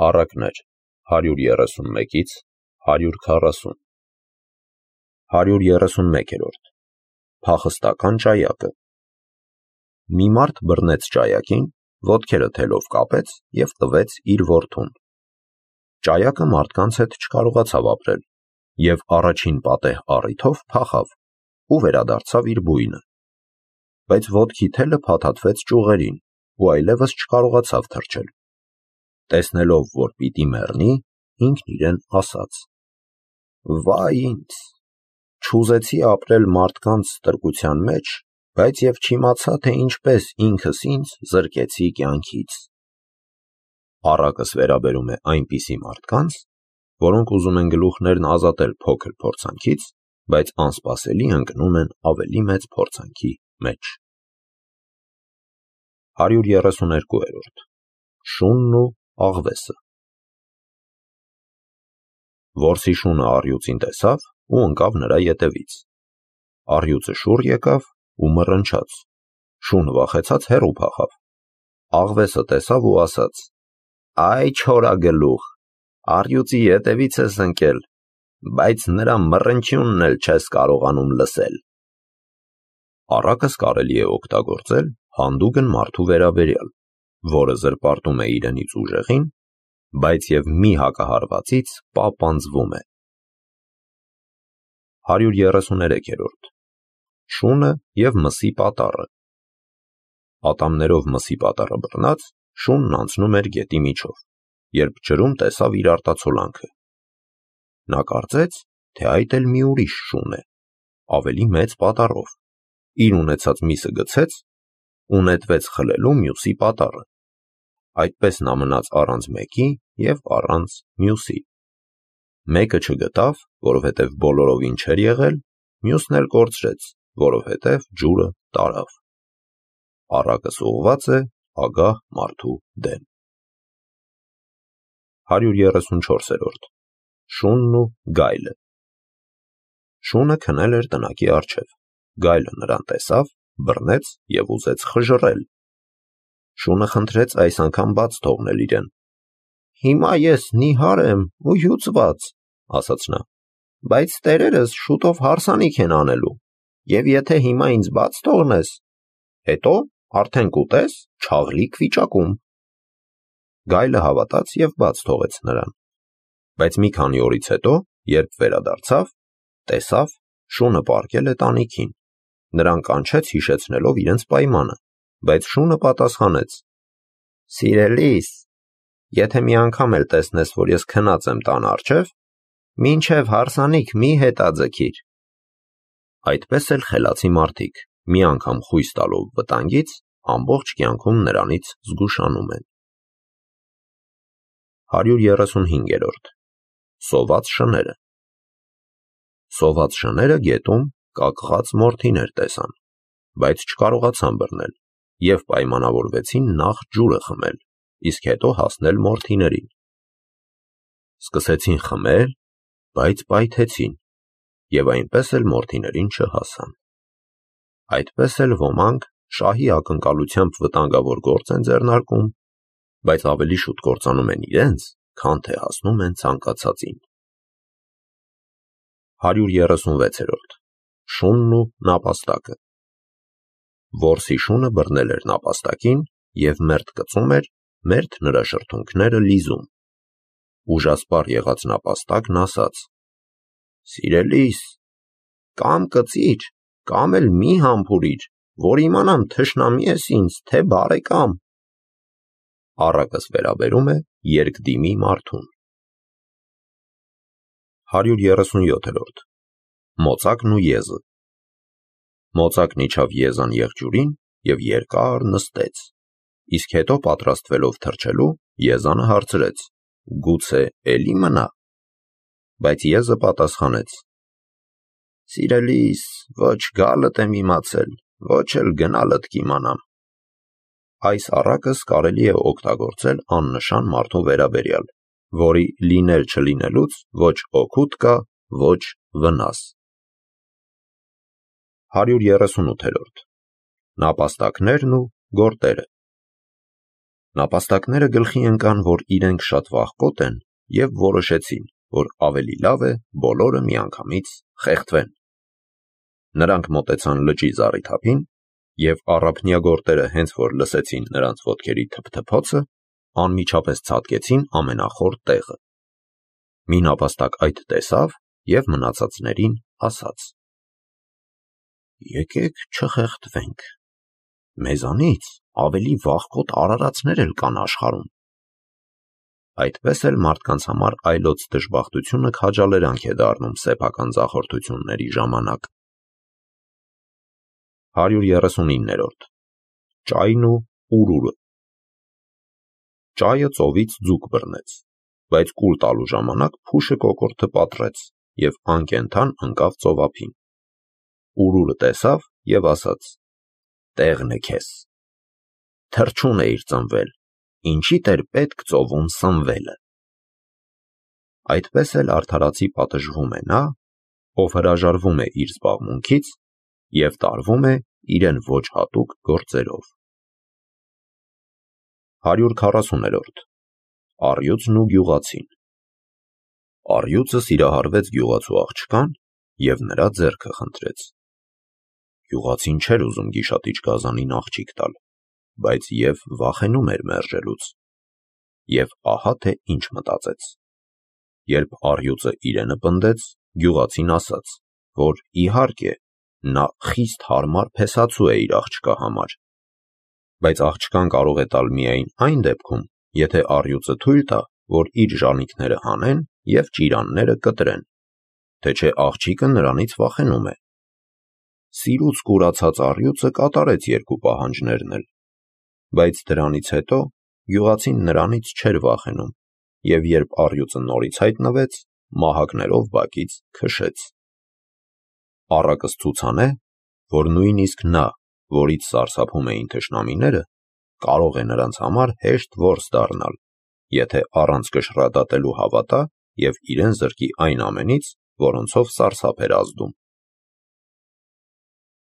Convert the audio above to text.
Առակներ 131-ից 140 131-րդ Փախստական ճայակը Մի մարդ բռնեց ճայակին, ոտքերը թելով կապեց և տվեց իր որդուն։ Ճայակը մարդկանց հետ չկարողացավ ապրել և առաջին պատեհ առիթով փախավ ու վերադարձավ իր բույնը։ Բայց ոտքի թելը փաթաթվեց ճյուղերին ու այլևս չկարողացավ թռչել։ Տեսնելով, որ պիտի մեռնի, ինքն իրեն ասաց. «Վայ ինձ, չուզեցի ապրել մարդկանց ստրկության մեջ, բայց և չիմացա, թե ինչպես ինքս ինձ զրկեցի կյանքից»։ Առակս վերաբերում է այնպիսի մարդկանց, որոնք ուզում են գլուխներն ազատել փոքր փորձանքից, բայց անսպասելի ընկնում են ավելի մեծ փորձանքի մեջ։ 132-րդ Շունն ու աղվեսը Որսի շունը առյուծին տեսավ ու ընկավ նրա ետևից։ Առյուծը շուռ եկավ ու մռնչաց։ Շունը վախեցած հեռու փախավ։ Աղվեսը տեսավ ու ասաց. «Այ չորագլուխ, առյուծի ետևից ես ընկել, բայց նրա մռնչյունն էլ չես կարողանում լսել»։ Առակս կարելի է օգտագործել հանդուգն մարդու վերաբերյալ, որը զրպարտում է իրենից ուժեղին, բայց և մի հակահարվածից պապանձվում է։ 133-րդ Շունը և մսի պատառը Ատամներով մսի պատառը բռնած, շունն անցնում էր գետի միջով, երբ ջրում տեսավ իր արտացոլանքը։ Նա կարծեց, թե այդ էլ մի ուրիշ շուն է, ավելի մեծ պատառով, իր ունեցած միսը գցեց ու նետվեց խլելու մյուսի պատառը։ Այդպես նա մնաց առանց մեկի և առանց մյուսի։ Մեկը չգտավ, որովհետև բոլորովին չէր եղել, մյուսն էլ կորցրեց, որովհետև ջուրը տարավ։ Առակս ուղղված է ագահ մարդու դեմ։ 134-րդ Շունն ու գայլը Շունը քնել էր տնակի առջև, գայլը նրան տեսավ, բռնեց և ուզեց խժռել։ Շունը խնդրեց այս անգամ բաց թողնել իրեն։ «Հիմա ես նիհար եմ ու հյուծված», ասաց նա, «բայց տերերս շուտով հարսանիք են անելու, և եթե հիմա ինձ բաց թողնես, հետո արդեն կուտես չաղլիկ վիճակում»։ Գայլը հավատաց և բաց թողեց նրան։ Բայց մի քանի օրից հետո, երբ վերադարձավ, տեսավ, շունը պառկել է տանիքին։ Նրան կանչեց հիշեցնելով իրենց պայմանը, բայց շունը պատասխանեց. «Սիրելիս, եթե մի անգամ էլ տեսնես, որ ես քնած եմ տան առջև, մինչև հարսանիք մի հետաձգիր»։ Այդպես էլ խելացի մարդիկ, մի անգամ խույս տալով վտանգից, ամբողջ կյանքում նրանից զգուշանում են։ 135-րդ Սոված շները Սոված շները գետում կակղած մորթիներ տեսան, բայց չկարողացան բռնել և պայմանավորվեցին նախ ջուրը խմել, իսկ հետո հասնել մորթիներին։ Սկսեցին խմել, բայց պայթեցին և այնպես էլ մորթիներին չհասան։ Այդպես էլ ոմանք շահի ակնկալությամբ վտանգավոր գործ են ձեռնարկում, բայց ավելի շուտ կործանում են իրենց, քան թե հասնում են ցանկացածին։ 136-րդ Շունն ու նապաստակը Որսի շունը բռնել էր նապաստակին և մերթ կծում էր, մերթ նրա շրթունքները լիզում։ Ուժասպառ եղած նապաստակն ասաց. «Սիրելիս, կամ կծիր, կամ էլ մի համբուրիր, որ իմանամ թշնամի ես ինձ, թե բարեկամ»։ Առակս վերաբերում է երկդիմի մարդուն։ 137-րդ Մոծակն ու եզը Մոծակն իջավ եզան եղջյուրին և երկար նստեց, իսկ հետո պատրաստվելով թռչելու, եզանը հարցրեց. «Գուցե էլի մնա»։ Բայց եզը պատասխանեց. «Սիրելիս, ոչ գալդ եմ իմացել, ոչ էլ գնալդ կիմանամ»։ Այս առակս կարելի է օգտագործել աննշան մարդու վերաբերյալ, որի լինել-չլինելուց ոչ օգուտ կա, ոչ վնաս։ 138-րդ Նապաստակներն ու գորտերը Նապաստակները գլխի ընկան, որ իրենք շատ վախկոտ են և որոշեցին, որ ավելի լավ է բոլորը միանգամից խեղդվեն։ Նրանք մոտեցան լճի զառիթափին և առափնյա գորտերը հենց որ լսեցին նրանց ոտքերի թփթփոցը, անմիջապես ցատկեցին ամենախոր տեղը։ Մի նապաստակ այդ տեսավ և մնացածներին ասաց. «Եկեք չխեղդվենք, մեզանից ավելի վախկոտ արարածներ էլ կան աշխարհում»։ Այդպես էլ մարդկանց համար այլոց դժբախտությունը քաջալերանք է դառնում սեփական ձախորդությունների ժամանակ։ 139. Ճայն ու ուրուրը։ Ճայը ծովից ձուկ բռնեց, բայց կուլ տալու ժամանակ փուշը կոկորդը պատռեց և անկենդան ընկավ ծովափին։ Ուրուրը տեսավ և ասաց. «Տեղն է քեզ, թռչուն էիր ծնվել, ինչի՞դ էր պետք ծովում սնվելը»։ Այդպես էլ արդարացի պատժվում է նա, ով հրաժարվում է իր զբաղմունքից և տարվում է իրեն ոչ հատուկ գործերով։ 140. Առյուծն ու գյուղացին։ Առյուծը սիրահարվեց գյուղացու աղջկան և նրա ձեռքը խնդրեց։ Գյուղացին չէր ուզում գիշատիչ գազանին աղջիկ տալ, բայց և վախենում էր մերժելուց։ Եվ ահա թե ինչ մտածեց։ Երբ առյուծը իրենը պնդեց, գյուղացին ասաց, որ իհարկե նա խիստ հարմար փեսացու է իր աղջկա համար, բայց աղջկան կարող է տալ միայն այն դեպքում, եթե առյուծը թույլ տա, որ իր ժանիքները հանեն և ճիրանները կտրեն, թե չէ աղջիկը նրանից վախենում է։ Սիրուց կուրացած առյուծը կատարեց երկու պահանջներն էլ, բայց դրանից հետո գյուղացին նրանից չէր վախենում և երբ առյուծը նորից հայտնվեց, մահակներով բակից քշեց։ Առակս ցուցան է, որ նույնիսկ նա, որից սարսափում էին թշնամիները, կարող է նրանց համար հեշտ որս դառնալ, եթե առանց կշռադատելու հավատա և իրեն զրկի այն ամենից, որոնցով սարսափ էր ազդում։